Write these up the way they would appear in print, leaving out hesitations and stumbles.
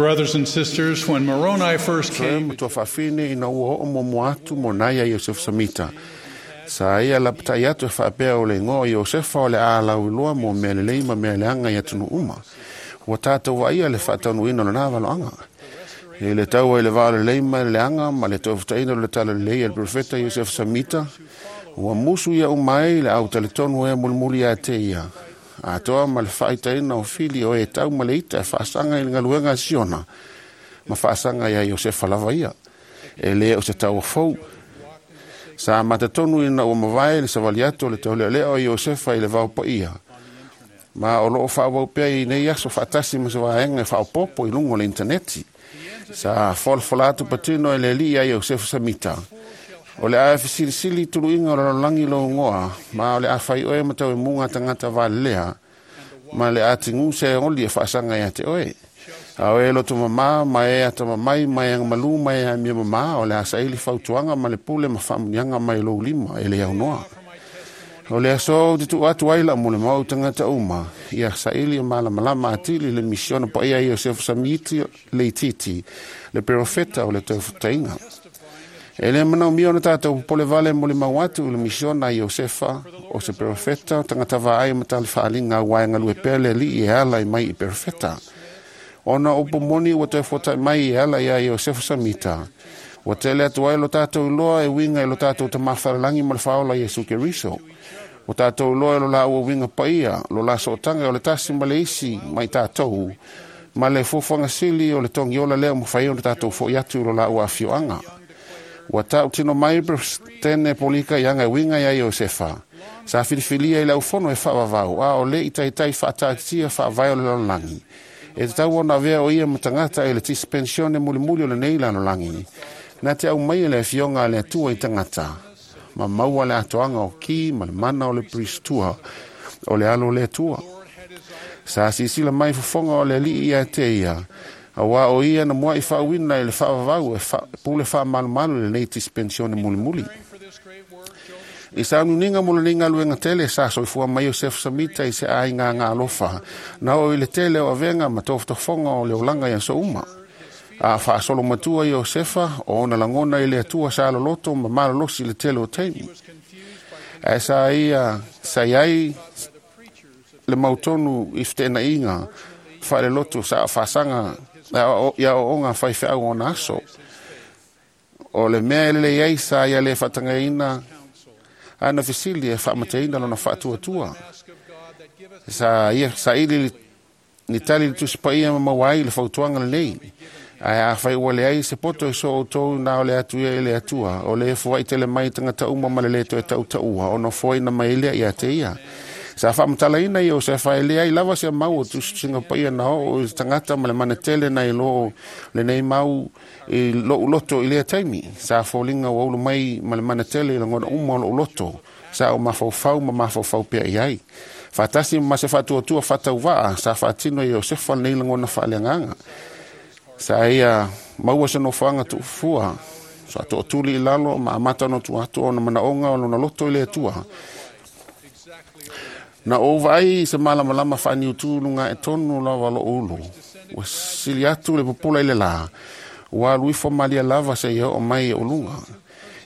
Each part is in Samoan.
Brothers and sisters, when Moroni first Soe came, matua faafine ina ua oo muamua atu mo nai a Iosefa Samita. Sa ia lapatai atu e faapea o le igoa o Iosefa o le a lauiloa mo mea lelei ma mea leaga i atunuu uma. Ua tatou vaaia le faataunuuina o lena valoaga. I le taua i le va o lelei ma le leaga ma le toefutaina o le talalelei a le profeta Iosefa Samita, ua musu ia uma ai le au talitonu e mulimuli ia te ia. Atoa ma le faaitaina o fili o e tau ma le ita e faasaga i le galuega a Siona, ma faasaga ia Iosefa lava ia. E le o se taua fou. Sa matatonu ina ua mavae le savali atu o le taulealea o Iosefa i le vao paia. Ma o loo faaauau pea i nei aso faatasi ma se vaega e faaopoopo i luga o le intaneti. Sa folafola atu patino e le alii ia Iosefa Samita. O le a fesilisili tuluiga o le lalolagi lou igoa, ma o le a fai oe ma tauemuga tagata valelea, ma le a tigu se oli e faasaga ia te oe. A o e loto mamā ma e atamamai ma e agamalu ma e amio mamā, o le a saili fautuaga ma le pule ma faamuniaga mai lou lima e le aunoa. O le aso ou te tuu atu ai lau molimau i tagata uma, ia saili e malamalama atili le misiona paia a Iosefa Samiti Leititi, le perofeta o le taufutaiga. E le manaomia ona tatou popole vale molimau atu i le misiona a Iosefa, o se perofeta, tagata vaai ma talifaaliga aua e galue pea le alii e ala i mai i perofeta. Ona o upu moni ua toe fuatai mai e ala ia Iosefa Samita. Ua tele atu ai lo tatou iloa e uiga i lo tatou Tama Fa'alelagi ma le Faaola Iesu Keriso. Ua tatou iloa e lo laua uiga paia, lo la sootaga o le tasi ma le isi mai tatou, ma le fuafuaga sili o le togiola lea ua mafai ona tatou fo'i atu i lo laua afioaga. Ua tautino mai Peresetene Polika i aga e uiga ia Iosefa. Sa filifilia i le aufono e faavavau, a o le i taitai faataatitia faavae o le lalolagi. E tatau ona avea o ia ma tagata i le dispensione mulimuli o lenei lalolagi. Na te aumaia le afioga a le Atua i tagata, ma maua le atoaga o ki ma le mana o le priestua o le alo o le Atua. Sa sisila mai fofoga o le alii ia te ia, aua o ia na muai faauina i le faavavau e pule faamalumalu i lenei dispensione mulimuli. I sauniuniga mo lenei galuega tele sa soifua mai Iosefa Samita i se aiga agalofa, na oo i le tele o avega ma tofotofoga o le olaga i aso uma. A faasolo matua Iosefa, o ona lagona i le Atua sa loloto ma malolosi i le tele o taimi. Ae sa ia sa iai le mautonu i feteenaiga faalelotu sa faasaga ia ooga faifeau o ona aso. O le mea e lelei ai sa ia le faatagaina ana fesili e faamateina lona faatuatua. Sa ia saili ni tali le Tusi Paia ma maua ai le fautuaga lenei. Ae afai ua leai se poto i so outou na o le atu ia i le Atua, o le foai tele mai tagata uma ma le lē toe tautaua, ona foaina mai lea ia te ia. Sa faamatalaina Iosefa e leai lava se mau o tusitusiga paia na oo i tagata ma le manatele nai lo lenei mau i lou loto i lea taimi. Sa foliga ua ulu mai ma le manatele i lagona uma o lou loto. Sa o mafaufau ma mafaufau pea i ai. Faatasi ma se faatuatua faatauvaa, sa faatino e Iosefa lenei lagona faaleagaga. Sa ia maua se nofoaga tuufua, sa tootuli i lalo ma amata ona tuu atu ona manaoga o lona loto i le Atua. Na ou vaai i se malamalama faaniutu luga e tonu lava lou ulu. Ua sili atu le pupula i le lā, ua alu ifo malie lava seia oo mai i ou luga.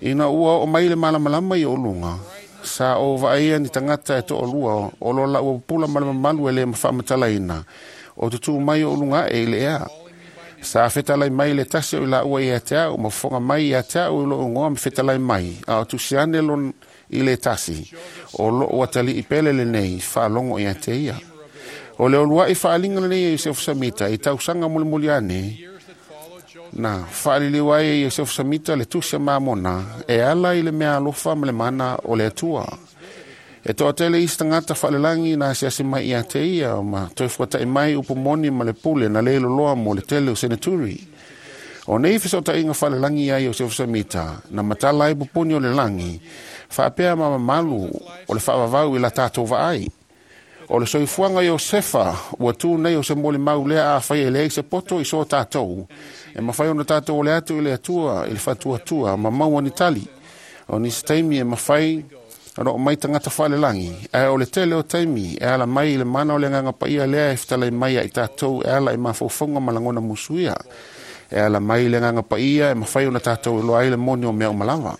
Ina ua oo mai le malamalama i ou luga, sa ou vaaia ni tagata e toalua o lo laua pupula ma le mamalu e le faamatalaina, o tutū mai o luga ae i le ea. Sa fetalai mai le tasi o i laua ia te au, ma fofoga mai ia te au i lou igoa ma fetalai mai, a o tusi ane lon i le tasi, o loo atalii pele lenei, faalogo ia te ia. O le uluai faaaliga lenei e Iosefa Samita i tausaga mulimuli ane, na faaliliu ai e Iosefa Samita le tusi a Mamona e ala i le mea alofa ma le mana o le Atua. E toatele isi tagata faalelagi na asiasi mai ia te ia ma toe fuata'i mai upu moni ma le pule na le loloa mo le tele o seneturi. O nei fesootaiga faalelagi ia Iosefa Samita na matala ai pupuni o le lagi, faapea ma mamalu o le faavavau i la tatou vaai. O le soifuaga Iosefa ua tu nei o se molimau lea afai e leai se poto i so tatou, e mafai ona tatou ole atu i le Atua i le faatuatua ma maua ni tali. O nisi taimi e mafai Ona oo mai tagata faalelagi, ae o le tele o taimi e ala mai i le mana o le Agaga Paia lea e fetalai mai ia i tatou e ala i mafaufauga ma lagona musuia. E ala mai i le Agaga Paia e mafai ona tatou iloa ai le moni o mea uma lava.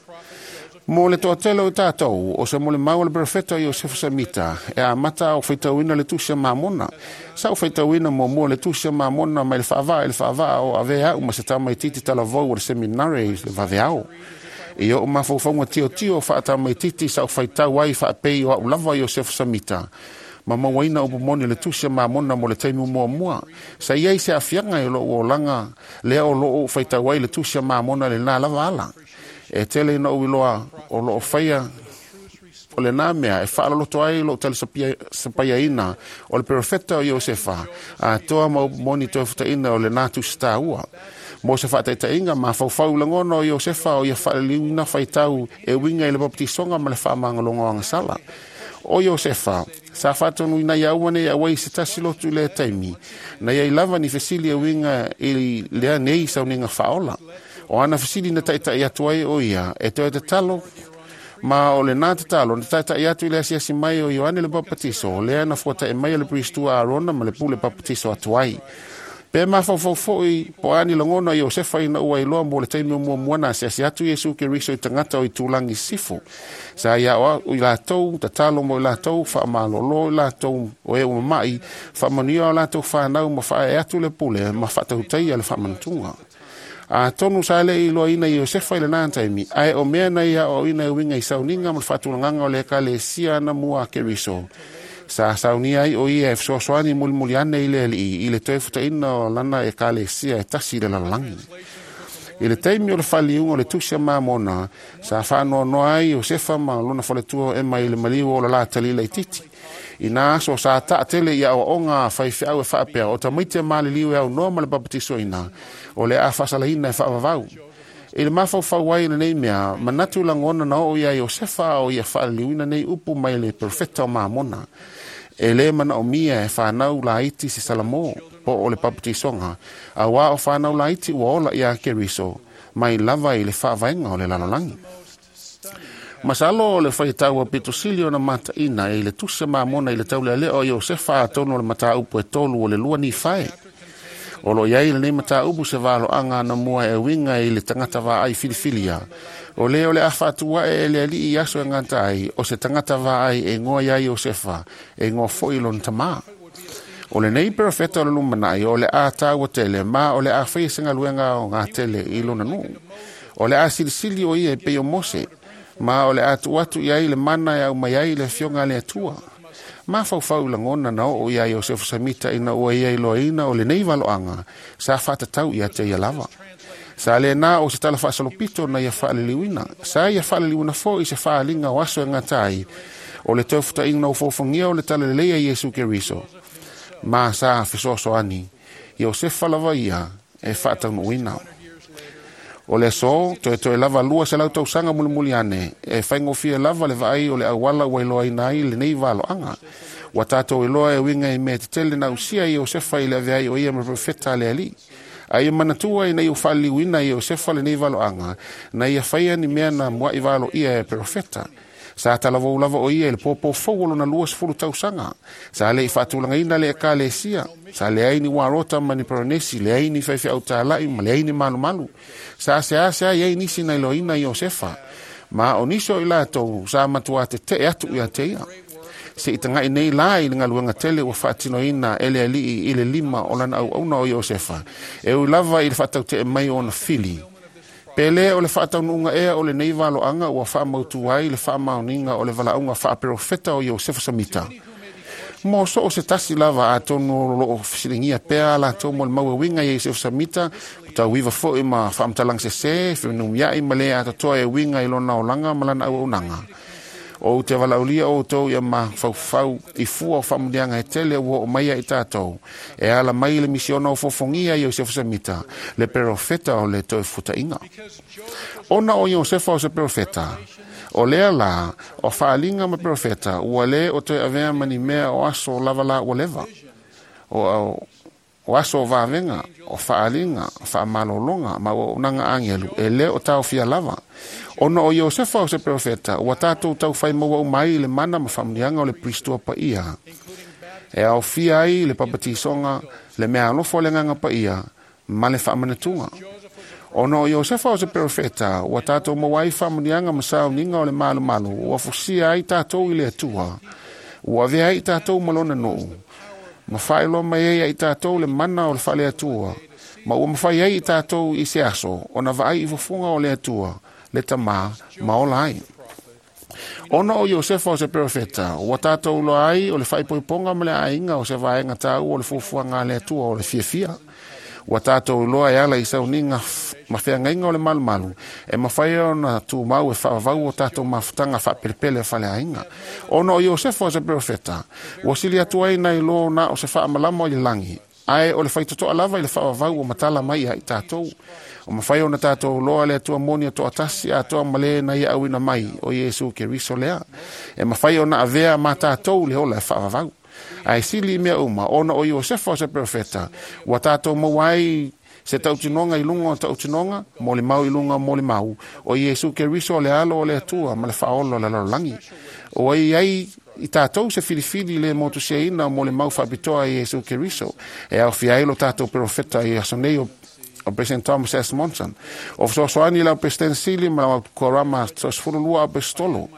Mo le toatele o tatou, o se molimau a le perofeta o Iosefa Semita, e amata a o faitauina le Tusi a Mamona. Sa ou faitauina muamua le Tusi a Mamona mai le faavaa i le faavaa o avea au ma se tamaitiiti talavou o le seminare i le vaveao. I o'u mafaufauga tiotio faatamaitiiti sa ou faitau ai faapei o a'u lava Iosefa Samita, ma mauaina upu moni o le Tusi a Mamona mo le taimi muamua. Sa i ai se aafiaga i lo'u olaga lea o loo faitau ai le Tusi a Mamona i lenā lava ala. E tele ina ou iloa o loo faia o lenā mea e faaloloto ai lo'u talisapaiaina o le perofeta o Iosefa atoa ma upu moni toefutaʻina o lenā tusi tāua. Mo se faataitaiga, mafaufau i lagona o Iosefa o ia faaliliuina faitau e uiga i le papatisoga ma le faamagaloga o agasala. O Iosefa sa faatonuina ia aua nei auai i se tasi lotu i lea taimi, na iai lava ni fesili e uiga i lea nei sauniga faaola. O ana fesili na taʻitaʻi atu ai o ia e toe tatalo, ma o lenā tatalo na taʻitaʻi atu i le asiasi mai o Ioane le Papatiso, lea na fuataʻi mai e le Peristua Arona ma le pule papatiso atu ai. Pe mafaufau foʻi po o a ni lagona o Iosefa ina ua iloa mo le taimi o muamua na asiasi atu Iesu Keriso i tagata o itulagi sisifo. Sa ia aoao i latou, tatalo mo i latou, faamalōlō i latou o e ua mamaʻi, faamanuia o latou fanau ma faaee atu le pule ma faatautaia le faamanatuga. Atonu sa leʻi iloaina Iosefa i lenā taimi, ae o mea na ia aoaoina e uiga i sauniga ma le faatulagaga o le Ekalesia anamua a Keriso. Sa saunia ai o ia e fesoasoani mulimuli ane i le Alii i le toe futaʻina o lana Ekalesia e tasi i le lalolagi. I le taimi o le faaliliuga o le Tusi a Mamona, sa faanoanoa ai Iosefa ma lona faletua o Ema i le maliu o le latali laitiiti. I nā aso sa taatele i aoaoga a faifeau e faapea o tamaiti e maliliu e aunoa ma le papatisoina, o le a faasalaina e faavavau. I le mafaufau ai i lenei mea, manatu lagona na oo iā Iosefa a o ia faaliliuina nei upu mai le perofeta o Mamona. E lē manaomia e fanau laiti se salamo, po o le papatisoga, auā o fanau laiti ua ola iā Keriso, mai lava i le faavaega o le lalolagi. Masalo o le faitau aupito sili ona mataʻina e i le Tusi a Mamona i le taulealea o Iosefa atonu o le mataupu e tolu o le lua Nifae. O loo i ai lenei mataupu se valoaga anamua e uiga i le tagata vaai filifilia. O lē o le a faatu aʻe e le Alii i aso e gata ai, o se tagata vaai e igoa iā Iosefa, e igoa foʻi lona tamā. O lenei perofeta o le lumanaʻi o le a tāua tele, ma o le a faia se galuega aoga tele i lona nuu. O le a silisili o ia e pei o Mose, ma o le a tuu atu i ai le mana e aumai ai le afioga a le Atua. Mafaufau i lagona na oo iā Iosefa Samita ina ua ia iloaina o lenei valoaga sa faatatau ia te ia lava. Sa lenā o se tala faasolopito na ia faaliliuina. Sa ia faaliliuina foʻi se faaaliga o aso e gata ai o le toefutaʻiga ofoofogia o le talalelei a Iesu Keriso, ma sa fesoasoani Iosefa lava ia e faataunuuina. O le aso, toetoe lava 200 tausaga mulimuli ane, e faigofie lava le vaai o le auala ua iloaina ai lenei valoaga. Ua tatou iloa e uiga i mea tetele na ausia e Iosefa i le avea ai o ia ma perofeta a le Alii. A ia manatua ina ia faaliliuina e Iosefa lenei valoaga, na ia faia ni mea na muaʻi valoia e perofeta. Sa talavou lava o ia i le pōpō fou o lona 20 tausaga. Sa leʻi faatulagaina le Ekalesia. Sa leai ni uarota ma ni paranesi, leai ni faifeau tālaʻi ma leai ni malumalu. Sa seasea i ai nisi na iloaina Iosefa, ma o nisi o i latou sa matuā teteʻe atu ia te ia. Seʻi tagaʻi nei lā i le galuega tele ua faatinoina e le Alii i le lima o lana auauna o Iosefa, e ui lava i le faatauteʻe mai o ona fili. Pe lē o le faataunuuga ea o lenei valoaga ua faamautū ai le faamaoniga o le valaauga faaperofeta o Iosefa Samita. Mo so o se tasi lava, atonu o loo fesiligia pea a latou molimau e uiga ia Iosefa Samita, ua tauiva foʻi ma faamatalaga sesē, fenumiaʻi ma lē atoatoa e uiga i lona olaga ma lana auaunaga. Ou te valaaulia outou ia mafaufau i fua o faamuniaga e tele ua oo mai ia i tatou, e ala mai i le misiona ofoofogia a Iosefa Samita, le perofeta o le toefutaʻiga. Ona o Iosefa o se perofeta, o lea lā o faaaliga ma perofeta ua lē o toe avea ma ni mea o aso lava la ua leva. O O aso o vavega, o faaaliga, o faamalologa, ma auaunaga agelu, e lē o taofia lava. Ona o Iosefa o se perofeta, ua tatou taufai maua uma ai i le mana ma faamanuiaga o le Peristua Paia. E aofia ai le papatisoga, le meaalofa o le Agaga Paia, ma le faamanatuga. Ona o Iosefa o se perofeta, ua tatou maua ai faamanuiaga ma sauniga o le malumalu, ua fusia ai tatou i le Atua. Ua avea ai tatou ma lona nuu, ma faailoa mai ai i tatou le mana o le faale-Atua, ma ua mafai ai i tatou i se aso, ona vaai i fofoga o le Atua, le Tamā, ma ola ai. Ona o Iosefa o se perofeta, ua tatou iloa ai o le faaipoipoga ma le aiga o se vaega taua o le fuafuaga a le Atua o le fiafia. Ua tatou iloa e ala i sauniga ma feagaiga o le malumalu, e mafai ona tumau e faavavau o tatou mafutaga faapelepele o faleaiga. Ona o Iosefa o se perofeta, ua sili atu ai nai lo na o se faamalama o le lagi, ae o le faitotoa lava i le faavavau o matala mai ia i tatou. O mafai ona tatou iloa le Atua moni e toatasi atoa ma le na ia auina mai o Iesu Keriso lea. E mafai ona avea ma tatou le ola e faavavau. Ae sili i mea uma, ona o Iosefa o se perofeta, ua tatou maua ai se tautinoga i luga o tautinoga, molimau i luga o molimau, o Iesu Keriso o le alo o le Atua ma le faaola o le lalolagi. Ua i ai i tatou se filifili le motusiaina o molimau faapitoa i Iesu Keriso, e aofia ai lo tatou perofeta i aso nei o President Thomas S. Monson. O fesoasoani lau President Sili ma lau Korama 12 Apostolo.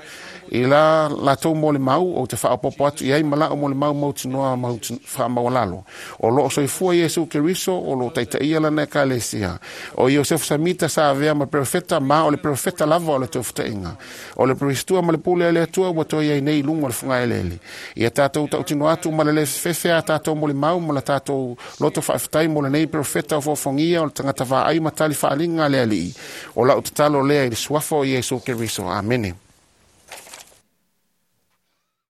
I la latou molimau ou te faaopoopo atu i ai ma la'u molimau mautinoa faamaualalo. O loo soifua Iesu Keriso o loo taitaia lana ekalesia. O Iosefa Samita sa avea ma perofeta ma o le perofeta lava o le toefutaʻiga. O le peristua ma le pule a le Atua ua toe ai nei i luga o le fugaeleele. Ia tatou tautino atu ma le lē fefefe a tatou molimau ma la tatou loto faafetai mo lenei perofeta o foafoagia o le tagata vaai ma tali faaaliga a le Alii. O la'u tatalo lea i le suafa o Iesu Keriso. Amene.